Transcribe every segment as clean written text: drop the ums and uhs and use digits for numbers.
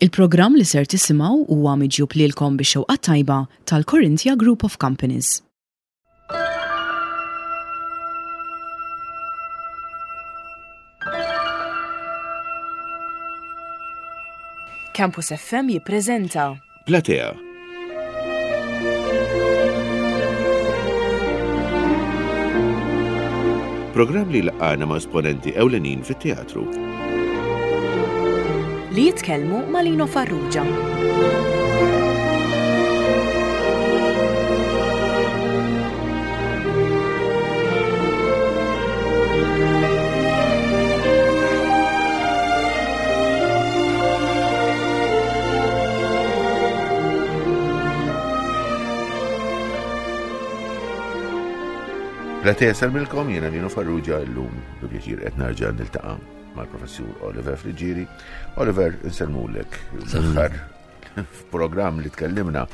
Il-programm li ser tisimgħu huwa miġjub lilkom bix-xewqa tajba tal-Corinthia Group of Companies. Campus FM jippreżenta Platea. Programm li laqgħana ma' esponenti ewlenin fit-teatru. Li jitkellmu ma' Lino Farrugia. Platea salmilkom jiena Lino Farrugia llum bi pjaċir qed narġa' niltaqa' mal-Professur Oliver Friggieri. Oliver, insellmulek l-aħħar f'programm li tkellimna.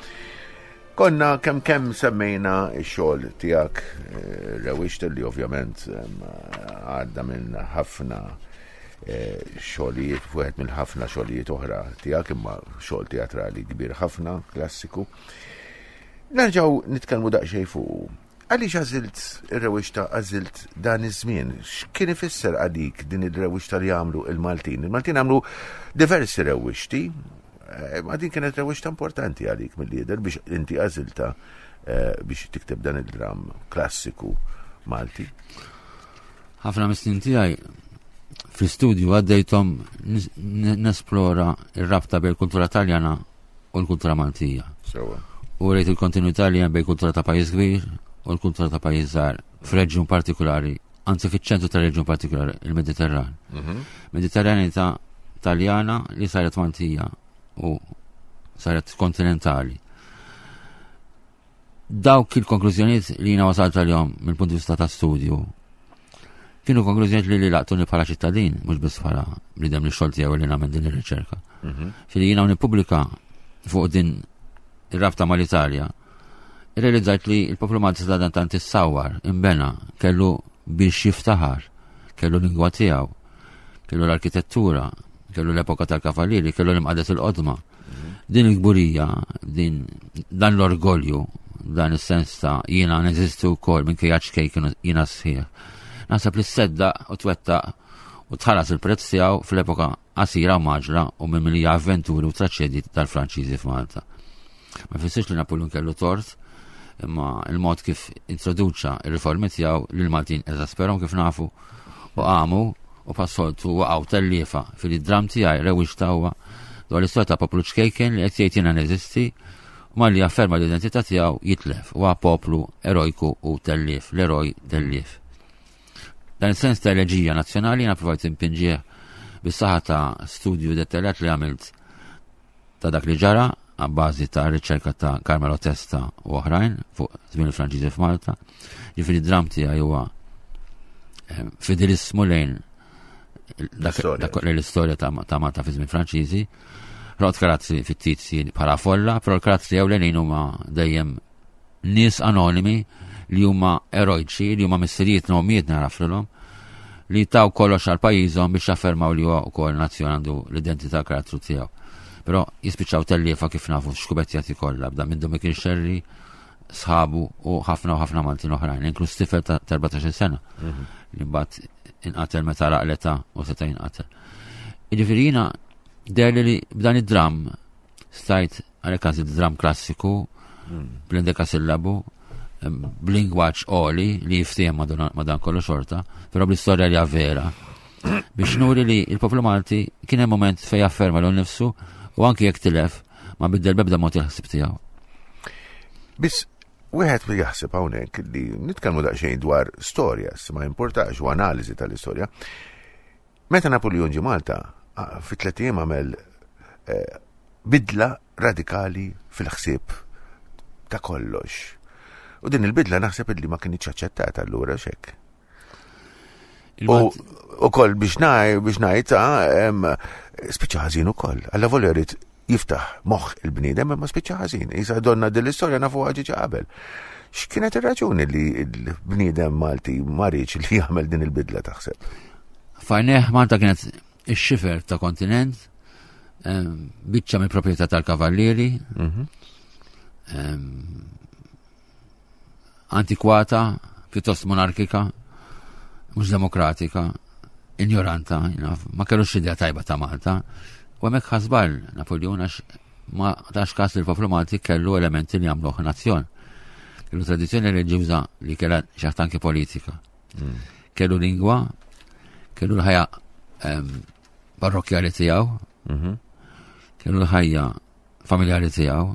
Konna kemm kemm semmejna x-xogħol tiegħek eh, rewixt li ovvjament għadda minn ħafna eh, xogħlijiet, wieħed minn ħafna xogħlijiet oħra tiegħek imma xogħol teatrali kbir ħafna, klassiku. Nerġgħu nitkellmu daqsxejn fuq. Għaliex għażilt ir-rewixta għażilt dan iż-żmien? X'kien ifisser għalik din ir-rewixta li għamlu il-Maltin? Il-Maltin għamlu diversi rewixti, eh, ma din kienet rewixta importanti għalik mill-lider biex inti għażilta eh, biex tikteb dan il-dram klassiku Malti. Ħafna mis-snin tiegħi fl-istudju għaddejthom nesplora ir-rabta bejn kultura Taljana u l-kultura Maltija. U rejt il-kontinuità li hemm bejn kultura ta' pajjiż kbir u l-kultura ta' pajjiż żgħar f'reġjun partikolari, anzi fiċ-ċentru ta' reġjun partikolari, il-Mediterran. Mhm. Mediterranità Taljana li saret Maltija u saret kontinentali. Dawk il-konklużjonijiet li jiena wasalt għalihom mill-punt di vista ta' studju kienu konklużjonijiet li li laqtuni bħala ċittadin, mhux biss bħala bniedem li xogħol tiegħu li nagħmel din ir-riċerka. Mhm. Fili jiena nippubblika fuq din ir-rabta mal-Italja, irrealizzajt li l-poplu Malti sa dan tant issawwar, imbena, kellu biex jiftaħar, kellu lingwa tiegħu, kellu l-arkitettura, kellu l-epoka tal-kavalieri, kellu l-imqadet il-qodma. Din il-kburija, din dan l-orgolju, dan is-sens ta' jiena neżisti wkoll minkejja ċkejken jiena sħiħ. Naħseb li sedda u twettaq u tħallas il-prezz tiegħu fl-epoka qasira u maġla u mimlija avventuri u traċedji tal-Franċiżi f'Malta. Ma jfissirx li Napoleon kellu tort, imma il-mod kif introduċa il-riformi tiegħu lil Maltin eżasperhom kif nafu u qamu u passoltu waqgħu telliefa fil-dram tiegħi rewwixta huwa dwar l-istorja ta' poplu ċkejken li qed jgħid jiena neżisti u malli jafferma l-identità tiegħu jitlef huwa poplu erojku u tellief, l-eroj tellief. Dan is-sens ta' eleġija nazzjonali jiena provajt impinġih bis-saħħa ta' studju dettaljat li għamilt ta' dak li ġara għabbażi ta' riċerka ta' Carmelo Testa u oħrajn fuq żmien il-Franċiżi f'Malta. Ġifieri dram tiegħi huwa eh, fidelismu lejn dak l-istorja ta' Malta fi żmien Franċiżi. Rot karattri fittizji bħala folla, però l-karattri ewlenin huma dejjem nies anonimi li huma erojċi, li huma missirijiet ommijiet naraflilhom, li taw kollox għal pajjiżhom biex jaffermaw li huwa wkoll nazzjon għandu l-identità karattru tiegħu. Però jispiċċaw telliefa kif nafu xkubettjati kollha, bda minn Dominic Sherry, sħabu u ħafna u ħafna Maltin oħrajn, inkluż tifel ta' 14 sena, mhm. li mbagħad inqatel meta raq l-età u seta' jinqatel. Jiġifieri jiena derli li b'dan id-dram Stajt għalhekk għażilt dram klassiku hmm. bl-indekasillabu b'lingwaġġ oli li jiftiehem ma' dan kollu xorta, però bl-istorja li vera. Biex nuri li il-poplu Malti kien hemm moment fejn afferma l nifsu u anki jekk tilef ma biddel bebda mod il-ħsib tiegħu. Biss wieħed li jaħseb hawnhekk li nitkellmu daqsxejn dwar storja, ma importax u analiżi tal-istorja. Meta Napoleon ġie Malta, fi tlet ijiem għamel eh, bidla radikali fil-ħsieb ta' kollox. U din il-bidla naħseb li ma kienx aċċettata allura xek. U koll biex ngħid biex ngħid ah, spiċċa ħażin ukoll. Alla volja jrid jiftaħ moħħ il-bniedem imma spiċċa ħażin. Isa donna din l-istorja nafu ġiġa qabel. X'kienet ir-raġuni li l-bniedem Malti ma riedx li jagħmel din il-bidla taħseb? Fajneħ Malta kienet ix-xifer ta' kontinent. Biċċa mill-proprjetà tal-kavallieri. Antikwata, pjuttost monarkika, mhux demokratika, ignoranta, ma kellux idea tajba ta' Malta. U hemmhekk ħasbal Napoleon għax ma tax każ li l-poplu Malti kellu elementi li jagħmluh nazzjon. Kellu tradizzjoni reliġjuża li kellha xi anke politika. Kellu lingwa, kellu l-ħajja parrokkjali tiegħu, kellu l-ħajja familjari tiegħu,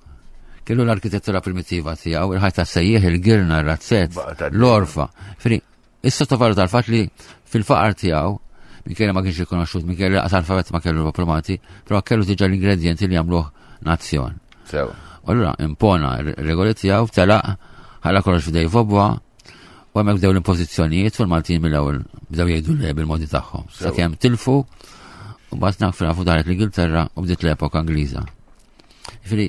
kellu l-arkitettura primitiva tiegħu, il-ħajja tas-sejjieħ, il-girna, ir-razzett, l-orfa. Fri, issa tovalu tal-fatt li fil-faqar tiegħu, minkejja ma kienx rikonoxxut, minkejja li alfabet ma kellu l-poplu però kellu diġà l-ingredienti li jagħmluh nazzjon. Sew. U allura impona r-regoli tiegħu, telaq, ħalla kollox f'idej Vobwa, u hemmhekk bdew l-impożizzjonijiet u l-Maltin mill-ewwel bdew jgħidu le bil-modi tagħhom. Sakemm tilfu u mbagħad naf nafu daret l-Ingilterra u bdiet l-epoka Ingliża. Ġifieri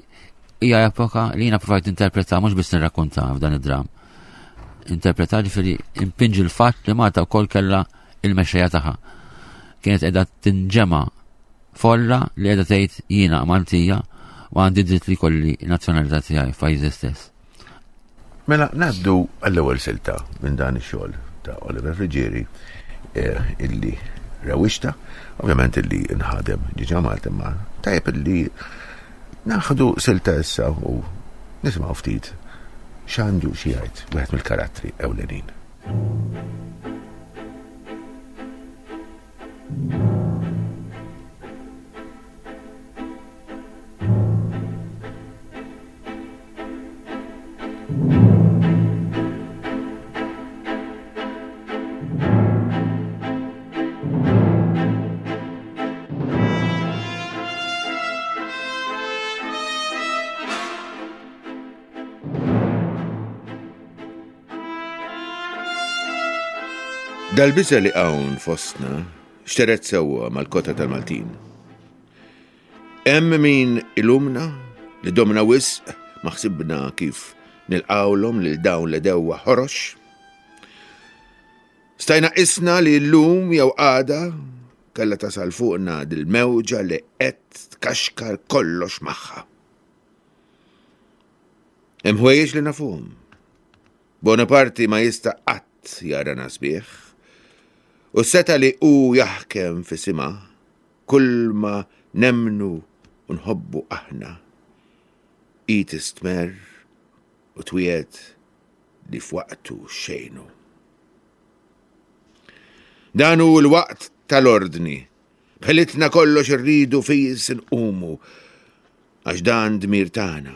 hija epoka li jiena provajt interpreta mhux biss nirrakkunta f'dan id-dram. Interpreta ġifieri impinġi l-fatt li Malta wkoll kellha il-mexxejja tagħha. Kienet qiegħda tinġema' folla li qiegħda tgħid jiena Maltija u għandi dritt li jkolli nazzjonalità tiegħi f'pajjiżi stess. Mela ngħaddu għall-ewwel silta minn dan ix-xogħol ta' Oliver Friggieri eh, illi rewixta, ovvjament illi nħadem ġiġa Malta imma tajjeb illi naħdu silta issa u nisimgħu ftit x'għandu xi jgħid wieħed mill-karattri ewlenin. Dal-biża' li hawn fostna xteret sewwa mal-kota tal-Maltin. Hemm min ilumna li domna wisq ma ħsibna kif nilqgħulhom lil dawn l-għedewwa ħorox. Stajna qisna li llum jew għada kellha tasal fuqna dil-mewġa li qed tkaxkar kollox magħha. Hemm ħwejjeġ li nafuhom. Bonaparti ma jista' qatt jarana sbieħ, u s-setgħa li hu jaħkem f'isimha, kulma nemmnu u nħobbu aħna, hi tistmerr u twiegħed li f'waqtu xejn hu. Dan hu l-waqt tal-ordni. B'ħilitna kollox irridu fis inqumu, għax dan dmir tagħna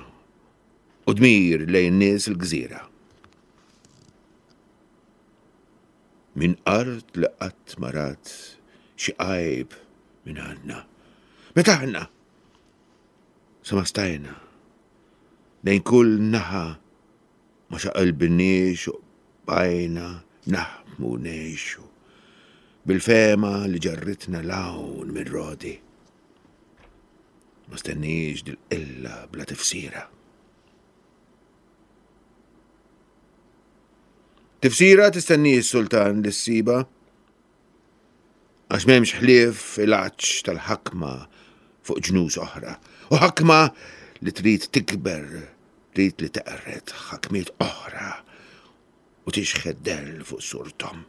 u dmir lejn nies il-gżira. Minn art li qatt ma rat xi għajb minn għandna. Meta aħna sa ma stajna lejn kull naħa ma xaqilbniex u bqajna naħdmu ngħixu bil-fehma li ġarritna 'l hawn minn Rodi. Ma stenniex dil-qilla bla tifsira. Tifsira tistenni s-sultan li ssiba? Għax m'hemmx ħlief il-għatx tal-ħakma fuq ġnus oħra. U ħakma li trid tikber, trid li teqred ħakmiet oħra u tixħet dell fuq surthom.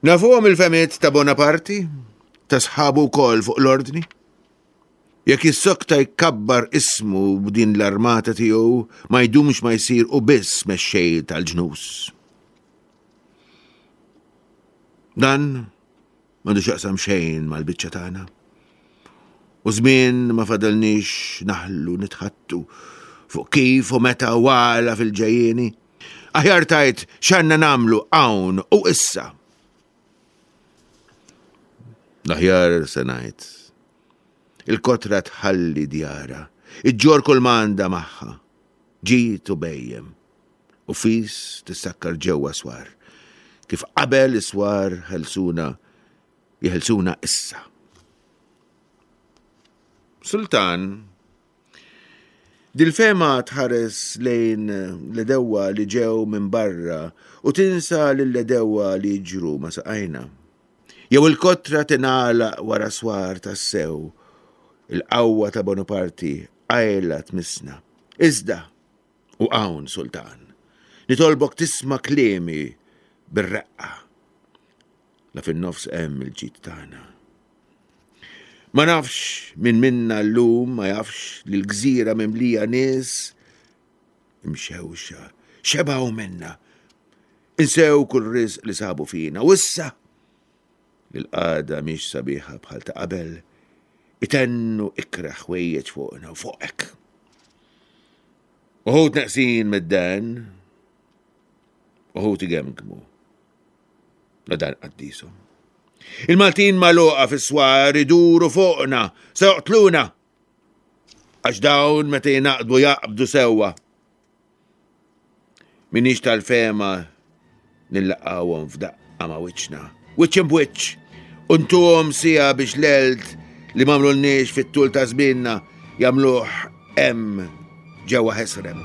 Nafuhom il-fehmiet ta' Bonaparti, ta' sħabu wkoll fuq l-ordni. Jekk jissokta jkabbar ismu b'din l-armata tiegħu, ma jdumx ma jsir hu biss mexxej tal-ġnus. Dan m'għandu x'jaqsam xejn mal-biċċa tagħna. U żmien ma fadalniex naħlu nitħattu fuq kif u meta u għala fil-ġejjieni. Aħjar tgħid x'għandna nagħmlu hawn u issa. L-aħjar se ngħid. Il-kotra tħalli djarha, iġġorr kull ma għandha magħha, ġid u bhejjem. U fis tissakkar ġewwa swar. Kif qabel is-swar ħelsuna, jeħelsuna issa. Sultan, dil-fehma tħares lejn l-għedewwa li ġew minn barra u tinsa lill-għedewwa li jiġru ma' saqajna. Jew il-kotra tingħalaq wara swar tassew, il-qawwa ta' Bonaparti qajla tmissna. Iżda, u hawn, Sultan, nitolbok tisma' kliemi bir-reqqa. La fin-nofs hemm il-ġid tagħna. Ma nafx min minna llum ma jafx li l-gżira mimlija nies imxewxa, xebgħu minna, insew kull riżq li sabu fina u issa li l-qagħda mhix sabiħa bħal ta' qabel, itennu ikrah ħwejjeġ fuqna u fuqek. Uħud neqsin mid-den, uħud igemgmu. La dan qaddishom. Il-Maltin magħluqa fis-swar iduru fuqna, se joqtluna. Għax dawn meta jingħaqdu jaqbdu sewwa. Minix tal-fehma nillaqgħuhom f'daqqa ma' wiċċna. Wiċċ imb'wiċċ, u ntuhom siegħa biex l-għelt li m'għamlulniex fit-tul ta' żmienna jagħmluh hemm ġewwa ħesrem.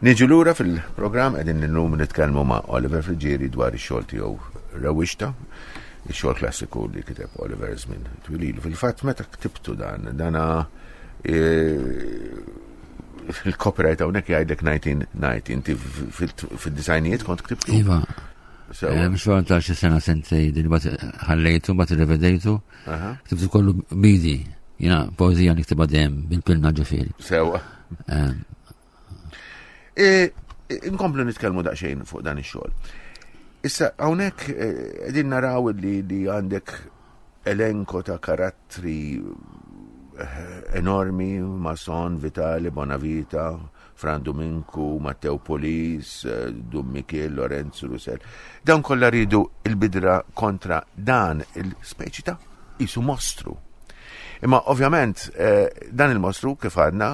Niġu lura fil-programm qegħdin illum nitkellmu ma' Oliver Friggieri dwar ix-xogħol tiegħu Rewwixta, ix-xogħol klassiku li kiteb Oliver żmien twililu. Fil-fatt meta ktibtu dan, dana e, il-copyright hawnhekk jgħidlek 1990, inti fid-disajnijiet kont ktibtu. Iva. Xogħol ta' xi sena sentej din bat ħallejtu, bat irrevedejtu. Ktibtu kollu bidi. Jina poezija niktibha dejjem bil-pilna ġifieri. Sewa. E, inkomplu nitkellmu daqsxejn fuq dan ix-xogħol. Issa hawnhekk e, qegħdin naraw li, li għandek elenko ta' karattri eh, enormi, Mason, Vitali, Bonavita, Fran Dominku, Matteo Polis, eh, Dun Mikiel, Lorenzo Russell. Dawn kollha ridu il-bidra kontra dan il-speċi ta' isu mostru. Imma ovvjament eh, dan il-mostru kif għadna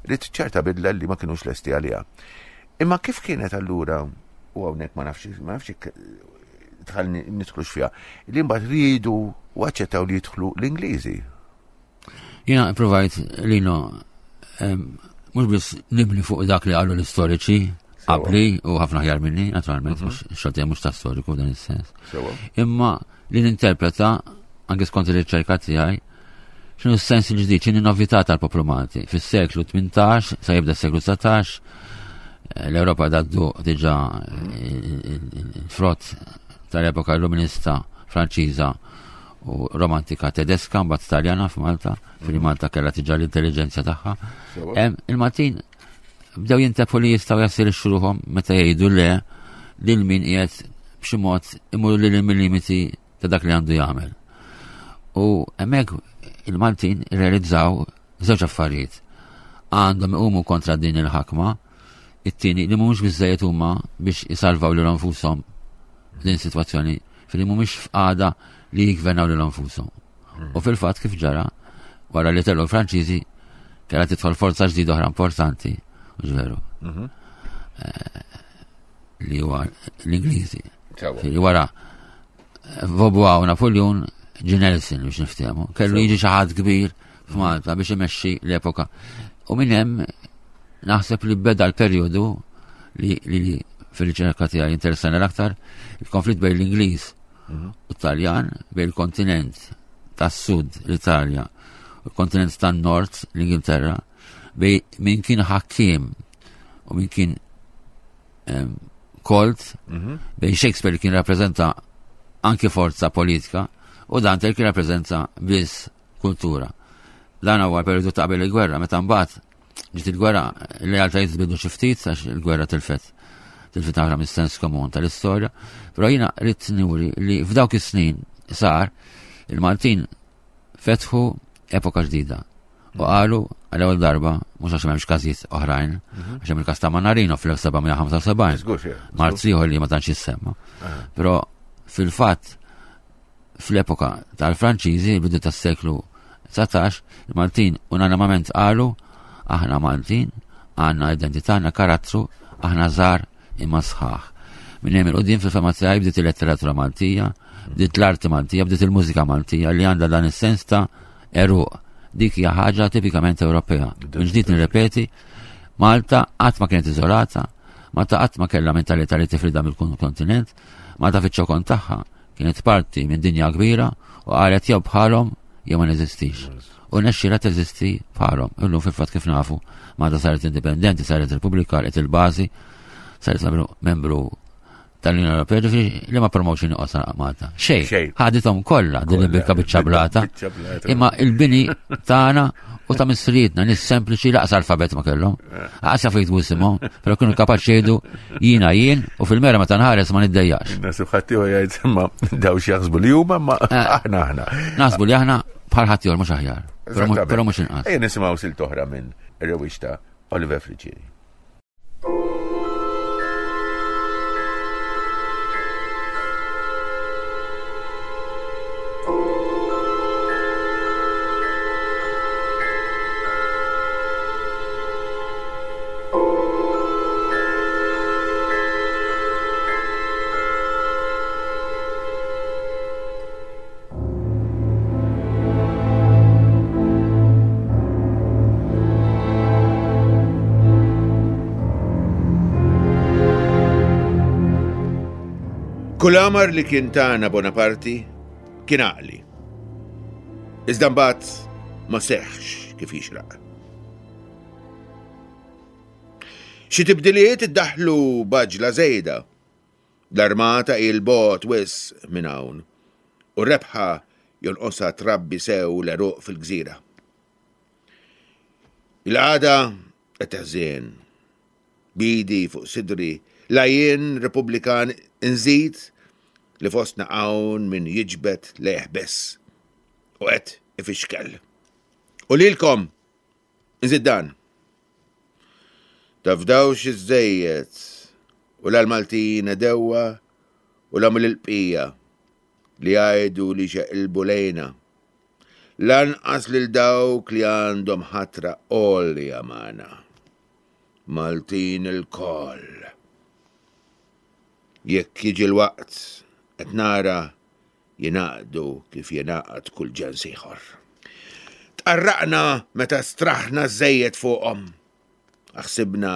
rrid ċerta bidla li ma kinux lesti għaliha. Imma kif kienet allura u hawnhekk ma nafx ma nafx tħallni nidħlux fiha, li mbagħad riedu u aċċettaw li jidħlu l-Ingliżi. Jiena provajt li no mhux biss nibni fuq dak li qalu l-istoriċi qabli u ħafna ħjar minni, naturalment, mhm. mhux xogħol mhux ta' storiku f'dan is-sens. Imma li ninterpreta anke skont ir-riċerka tiegħi x'inhu s-sens il-ġdid, x'inhi novità tal-poplu Malti. Fis-seklu 18 sa jibda s-seklu 19 eh, l-Ewropa daddu diġà eh, il-frott tal-epoka illuminista Franċiża u romantika tedeska mbagħad Taljana f'Malta, fil mhm. Malta kellha tiġa l-intelligenza tagħha. Il-Maltin bdew jintebħu li jistgħu jassirixxu ruħhom meta jgħidu le lil min qiegħed b'xi mod imur lil limiti ta' dak li għandu jagħmel. U hemmhekk il-Maltin irrealizzaw żewġ affarijiet. Għandhom iqumu kontra din il-ħakma, it-tieni li mhumiex biżejjed huma biex isalvaw lil nfushom din sitwazzjoni fil mhumiex f'qagħda li jiggvernaw lil nfushom. U fil-fatt kif ġara, wara li tellu l-Franċiżi, kellha tidħol forza ġdida oħra importanti, u veru. Mhm. Eh, li huwa l-Ingliżi. Li wara eh, Vaubois u Napoleon ġi Nelson biex niftehmu. Kellu jiġi xi ħadd kbir f'Malta biex imexxi l-epoka. U minn hemm naħseb li beda l-perjodu li, li fil-riċerka tiegħi interessani l-aktar il-konflitt bejn l-Ingliż mhm. u Taljan bejn il-kontinent tas-Sud l-Italja u l-kontinent tan-Nord l-Ingilterra bej min kien ħakkiem u min kien kolt mhm. bejn Shakespeare kien rappreżenta anki forza politika u Dante kien rappreżenta biss kultura. Dan huwa periodu ta' qabel il-gwerra, meta mbagħad ġiet il-gwerra, l-realtajiet tbidu xi ftit għax il-gwerra tilfet tilfet aħra mis-sens komun tal-istorja, però jiena rrid nuri li f'dawk is-snin sar il-Maltin fetħu epoka ġdida. U qalu għal ewwel darba, mhux għax m'hemmx każijiet oħrajn, mhm. għax hemm il-każ ta' Manarino fl-1775. Marzi ieħor li ma tantx jissemma. Però Fil-fatt, fl-epoka tal-Franċiżi, il-bidu tas-seklu 19, il-Maltin unanimament qalu aħna Maltin, għandna identità, għandna karattru, aħna żgħar imma sħaħ. Minn hemm il-qudiem fil-fema tiegħi bdiet il-letteratura Maltija, bdiet l-arti Maltija, bdiet il-mużika Maltija li għandha dan is-sens ta' eruq. Dik hija ħaġa tipikament Ewropea. Minn ġdid nirrepeti, Malta qatt ma kienet iżolata, Malta qatt ma kellha mentalità li tifrida mill-kontinent, Malta fiċ-ċokon tagħha kienet parti minn dinja kbira u qalet jew bħalhom jew ma neżistix. U nexxira teżisti bħalhom. Illum fil-fatt kif nafu, Malta saret indipendenti, saret Repubblika, għalqet il-bażi, saret membru tal-Unjoni Ewropea, ġifieri li ma promotion joqgħod Malta. Xejn. Ħadithom kollha din il-bikka biċċa blata. Imma il-bini tagħna u ta' missirietna nies sempliċi laqas alfabet ma kellhom. Laqas jafu jiktbu isimhom, però kienu kapaċi jgħidu jiena jien u fil-mera meta nħares ma niddejjax. Nasib ħaddieħor jgħid imma daw x'jaħsbu li huma ma eh. aħna aħna. Naħsbu li aħna bħal ħaddieħor mhux aħjar. Però mhux inqas. Ejja nisimgħu silt oħra minn rewwixta Oliver Friggieri. Kull amar li kien tagħna Bonaparti kien għaqli. Iżda mbagħad ma seħħx kif jixraq. Xi tibdiliet iddaħħlu b'għaġla żejda. L-armata hi 'l bogħod wisq minn hawn, u r-rebħa jonqosha trabbi sew l-għeruq fil-gżira. Il-qagħda qed teħżien. B'idi fuq sidri, la jien Repubblikan inżid li fostna hawn min jiġbed lejh biss u qed ifixkel. U lilkom inżid dan. Tafdawx iżżejjed u la l-Maltin għedewwa u la mill-bqija li jgħidu li xeqilbu lejna. Lanqas lil dawk li għandhom ħatra għolja magħna. Maltin ilkoll. Jekk jiġi l-waqt qed nara jingħaqdu kif jingħaqad kull ġens ieħor. Tqarraqna meta straħna żejjed fuqhom. Aħsibna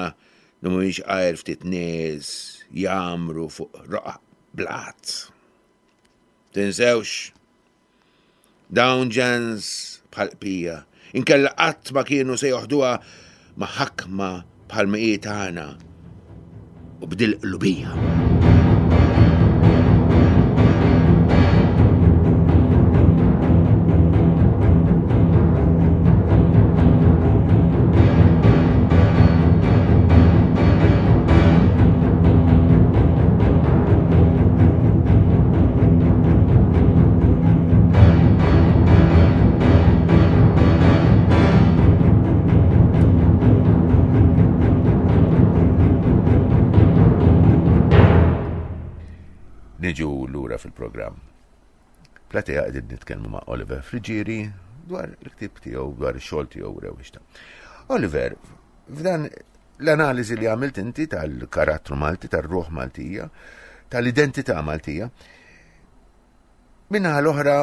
li mhumiex għajr ftit nies jagħmru fuq roqgħa blat. Tinsewx, dawn ġens bħal qpija, inkella qatt ma kienu se joħduha ma' ħakma bħal ma hi tagħna u b'dil qlubija. Niġu lura fil-programm. Platea qegħdin nitkellmu ma' Oliver Friġieri dwar il-ktib tiegħu dwar ix-xogħol tiegħu rewwixta. Oliver, f'dan l-analiżi li għamilt inti tal-karattru Malti, tar-ruħ Maltija, tal-identità Maltija, Minnaħa l-oħra,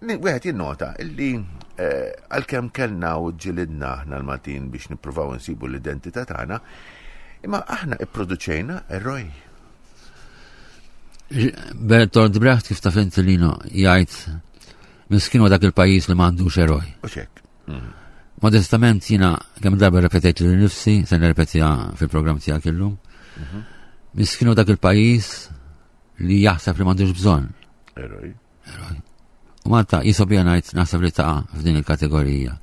wieħed jinnota illi eh, għalkemm kellna u ġilidna aħna l-Maltin biex nippruvaw insibu l-identità tagħna, imma aħna ipproduċejna eroj. Bertolt Brecht kif taf inti lino jgħid miskin dak il-pajjiż li m'għandux eroj. U xek. Mm. Modestament jiena kemm darba repetejt li nifsi, se nirrepetiha fil-programm tiegħek illum. Mhm. Miskin dak il-pajjiż li jaħseb li m'għandux bżonn. Eroj. Eroj. U Malta jisobija ngħid naħseb li taqa' f'din il-kategorija.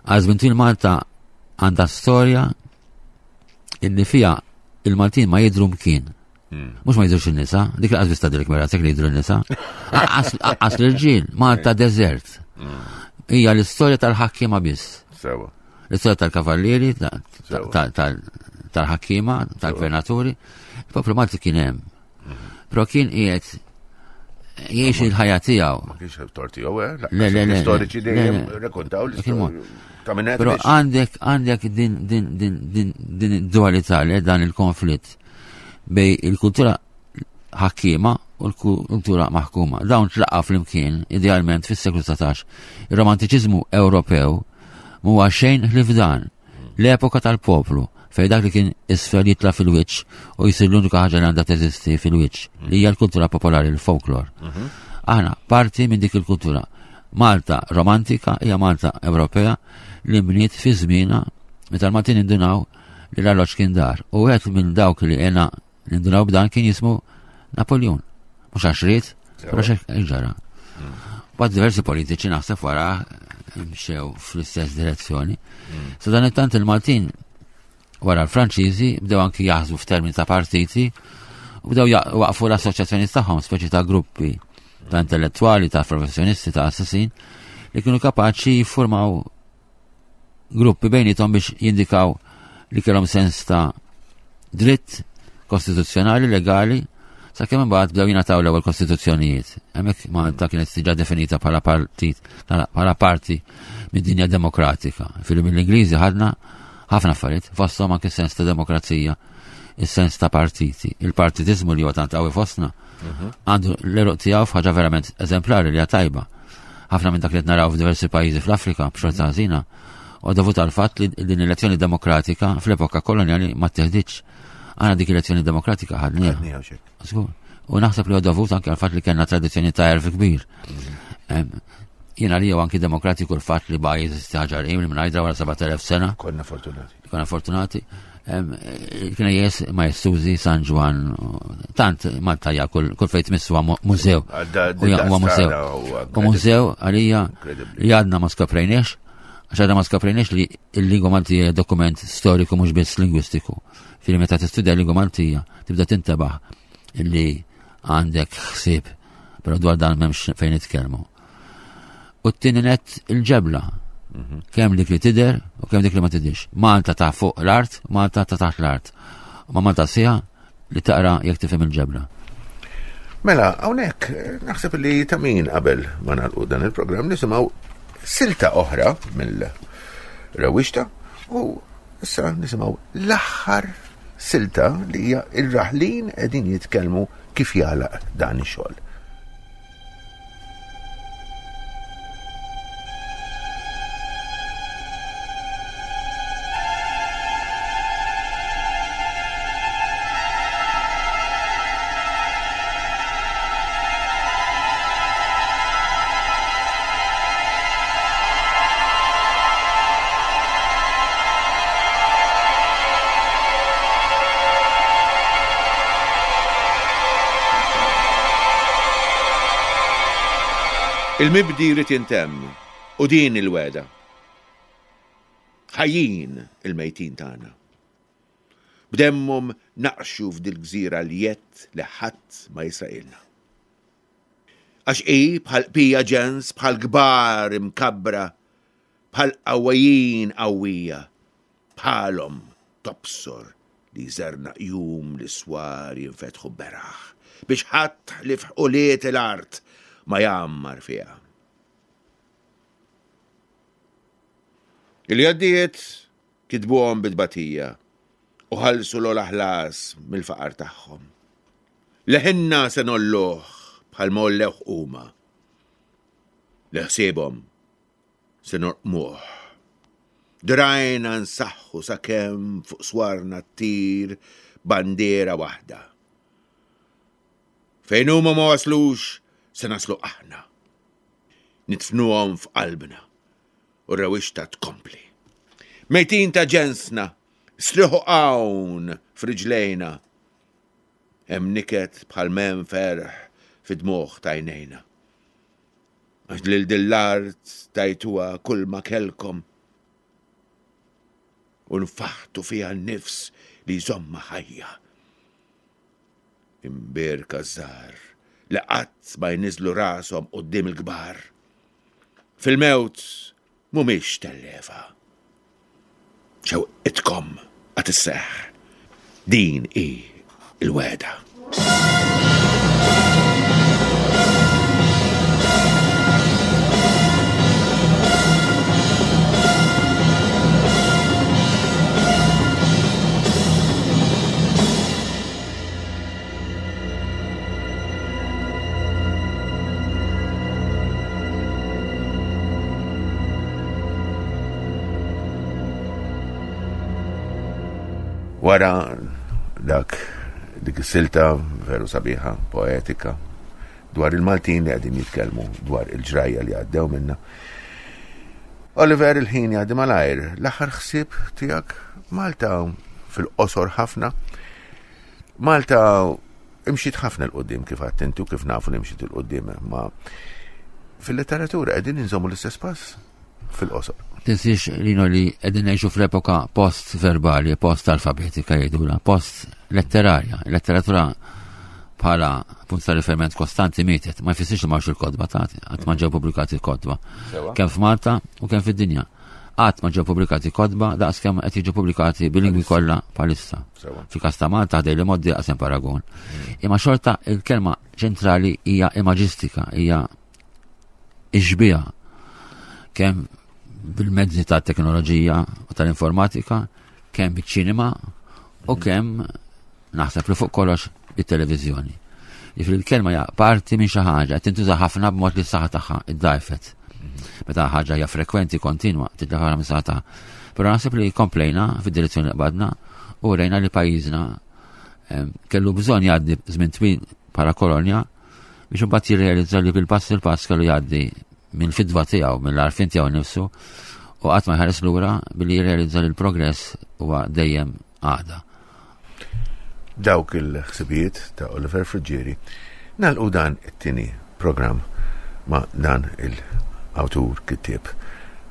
Għal żmien Malta għandha storja illi fija il-Maltin ma jidru mkien. Hmm. Mux ma jidrux il-nisa, dik laqas bista dik mera li jidru n-nisa. Aqqas l-irġiel, Malta desert. Hmm. Hija l-istorja tal-ħakkiema biss. Sewa. L-istorja tal-kavallieri, tal-ħakkiema, tal-gvernaturi. Il-poplu Malti kien hemm. Mhm. Però kien qiegħed Jgħix il-ħajja tiegħu. Ma kienx tort tiegħu, eh? Le, le, le. Storiċi dejjem rekontaw l-istorja. Ta' minn Però għandek għandek din din din din din dualità li dan il-konflitt bej il-kultura ħakkiema u l-kultura maħkuma. Dawn tlaqqa flimkien idealment fis-seklu 19. Ir-romantiċiżmu Ewropew mhuwa xejn ħlief dan. L-epoka tal-poplu, fejn dak li kien isfel jitla' fil-wiċċ u jsir l-unika ħaġa li għandha teżisti fil-wiċċ, li hija l-kultura popolari, l-folklor. Mhm. Aħna parti minn dik il-kultura. Malta romantika hija Malta Ewropea li bniet fi żmienha meta l-Maltin indunaw li l-arloġġ kien dar. U wieħed minn dawk li għena Nindunaw b'dan kien jismu Napoleon. Mhux għax ried, però xek ġara. Mm. Bad diversi politiċi naħseb wara mxew fl-istess direzzjoni. Mm. So dan it-tant il-Maltin wara l-Franċiżi bdew anki jaħsbu f'termini ta' partiti u bdew waqfu l-assoċjazzjoni tagħhom, speċi ta' gruppi ta' intellettwali, ta' professjonisti, ta' assassin li kienu kapaċi jiffurmaw gruppi bejnietom biex jindikaw li kellhom sens ta' dritt kostituzzjonali, legali, sakemm imbagħad bdew jingħataw l-ewwel kostituzzjonijiet. Hemmhekk Malta kienet diġà definita bħala partit bħala parti mid-dinja demokratika. Fil mill-Ingliżi ħadna ħafna affarijiet, fosthom anke sens ta' demokrazija, is-sens ta' partiti. Il-partitiżmu li huwa tant qawwi fostna mhm. għandu l-eruq tiegħu f'ħaġa verament eżemplari li hija tajba. Ħafna minn dak li qed naraw f'diversi pajjiżi fl-Afrika b'xorta ħażina u dovut għal fatt li din l-elezzjoni demokratika fl-epoka kolonjali ma teħdiċ. Għana dik elezzjoni demokratika ħadniha. U naħseb li huwa dovut anke għal fatt li kellna tradizzjoni ta' erf kbir. Mhm. Jiena li anki demokratiku l-fatt li ba' jeżisti ħaġar li minn wara 7000 sena. Konna fortunati. Konna fortunati. Kiena jes ma jessużi San Ġwan, tant Malta ja kull fejn tmissu mużew. Huwa mużew. U mużew għalija li għadna ma skoprejniex, għax għadna ma skoprejniex li l-lingwa Maltija dokument storiku mhux biss lingwistiku. Fili meta tistudja l-lingwa Maltija tibda tintebaħ li għandek ħsieb, però dwar dan m'hemmx fejn nitkellmu. U t-tieni net il-ġebla. Mhm. Kemm dik li tidher u kemm dik li ma tidhirx. Malta ta' fuq l-art, Malta ta' taħt l-art. Ma Malta siha li taqra jekk tifhem il-ġebla. Mela, hawnhekk naħseb li ta' min qabel ma nagħlqu dan il-programm nisimgħu silta oħra mill-rewwixta u issa nisimgħu l-aħħar silta li hija ir-raħlin qegħdin jitkellmu kif jagħlaq dan ix-xogħol. Il-mibdi jrid jintemm u din il-wegħda. Ħajjin il-mejtin tagħna. B'demmhom naqxu f'dil-gżira l-jedd li ħadd ma jisraqilna. Għax hi bħal qpija ġens, bħal kbar imkabbra, bħal qawwijin qawwija, Bħalhom tobsor li jżernaq jum li s-swar jinfetħu beraħ, biex ħadd ħlief ulied il-art ma jgħammar fiha. Il-jeddijiet kitbuhom bi tbatija u ħallsu l-ogħla ħlas mill-faqar tagħhom. Leħinna se ngħolluh bħalma għollewh huma. Li ħsiebhom Se norqmuh. Drajna nsaħħu sakemm fuq swarna ttir bandiera waħda. Fejn huma ma waslux se naslu aħna. Nidfnuhom f'qalbna u r-rewwixta tkompli. Mejtin ta' ġensna, strieħu hawn f'riġlejna. Hemm niket bħal m'hemm ferħ fid-dmugħ t'għajnejna. Għax lil din l-art tajtuha kulma kellkom u nfaħtu fiha n-nifs li jżommha ħajja. Imbierka ż-żgħar li qatt ma jniżżlu rashom quddiem il-kbar. Fil-mewt mhumiex telliefa. Xewqitkom għad isseħħ. Din hi l-wegħda. Wara dak dik is-silta veru sabiħa, poetika, dwar il-Maltin li qegħdin jitkellmu dwar il-ġrajja li għaddew minna. Oliver il-ħin jgħaddi malajr, l-aħħar ħsieb tiegħek Malta fil-qosor ħafna. Malta imxiet ħafna l-qoddim kif għattintu kif nafu li imxiet il-qoddim ma fil-letteratura qegħdin inżommu l-istess pass fil-qosor. Tinsiex Lino li qegħdin ngħixu fl-epoka post-verbali, post-alfabetika jgħidula, post-letterarja. Letteratura bħala punt ta' riferiment kostanti mietet, ma jfissirx li m'hawnx il-kotba ta' qatt ma ġew pubblikati kotba. Kemm f'Malta u kemm fid-dinja. Qatt ma ġew pubblikati kotba daqs kemm qed jiġu pubblikati bil-lingwi kollha bħalissa. Fil-każ ta' Malta ħdej li moddi qasem paragun. Mm. Imma xorta il-kelma ċentrali hija imaġistika, hija ix-xbieha kemm bil-mezzi ta' teknoloġija u tal-informatika, kemm biċ-ċinema u mhm. kemm naħseb li fuq kollox bit-televiżjoni. Jiġifieri l-kelma hija parti minn xi ħaġa qed tintuża ħafna b'mod li s-saħħa tagħha iddajfet. Mhm. Meta ħaġa hija frekwenti kontinwa titlef minn saħħa tagħha. Però naħseb li komplejna fid-direzzjoni li qbadna u rejna li pajjiżna ehm, kellu bżonn jgħaddi żmien twil bħala kolonja biex imbagħad jirrealizza li bil-pass il-pass kellu jgħaddi mill-fidwa tiegħu, mill-għarfien tiegħu nnifsu u qatt ma jħares lura billi jirrealizza li l-progress huwa dejjem għada. Dawk il-ħsibijiet ta' Oliver Friggieri nagħlqu dan it-tieni programm ma' dan il-awtur kittieb.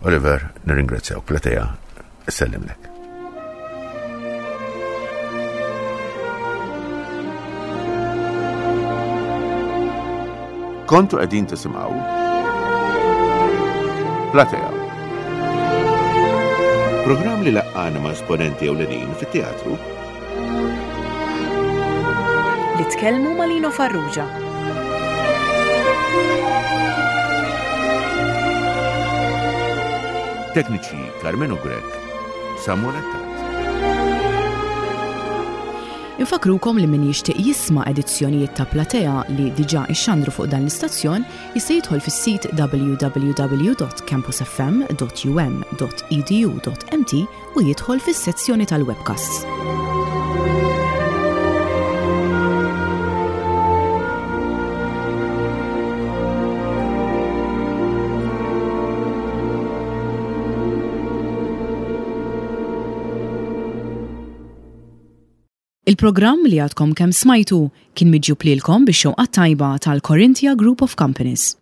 Oliver, nirringrazzjaw platea Sellimlek. Kontu qegħdin tisimgħu Platea. Programm li laqqana ma' esponenti ewlenin fit-teatru. Li tkellmu ma' Lino Farrugia. Tekniċi Karmenu Grech, Samuel Attard. Infakrukom li min jixtieq jisma' edizzjonijiet ta' Platea li diġà ixxandru fuq dan l-istazzjon jista' jidħol fis-sit www.campusfm.um.edu.mt u jidħol fis-sezzjoni tal-webcasts. Il-programm li għadkom kemm smajtu kien miġjub lilkom bix-xewqa t-tajba tal-Corinthia Group of Companies.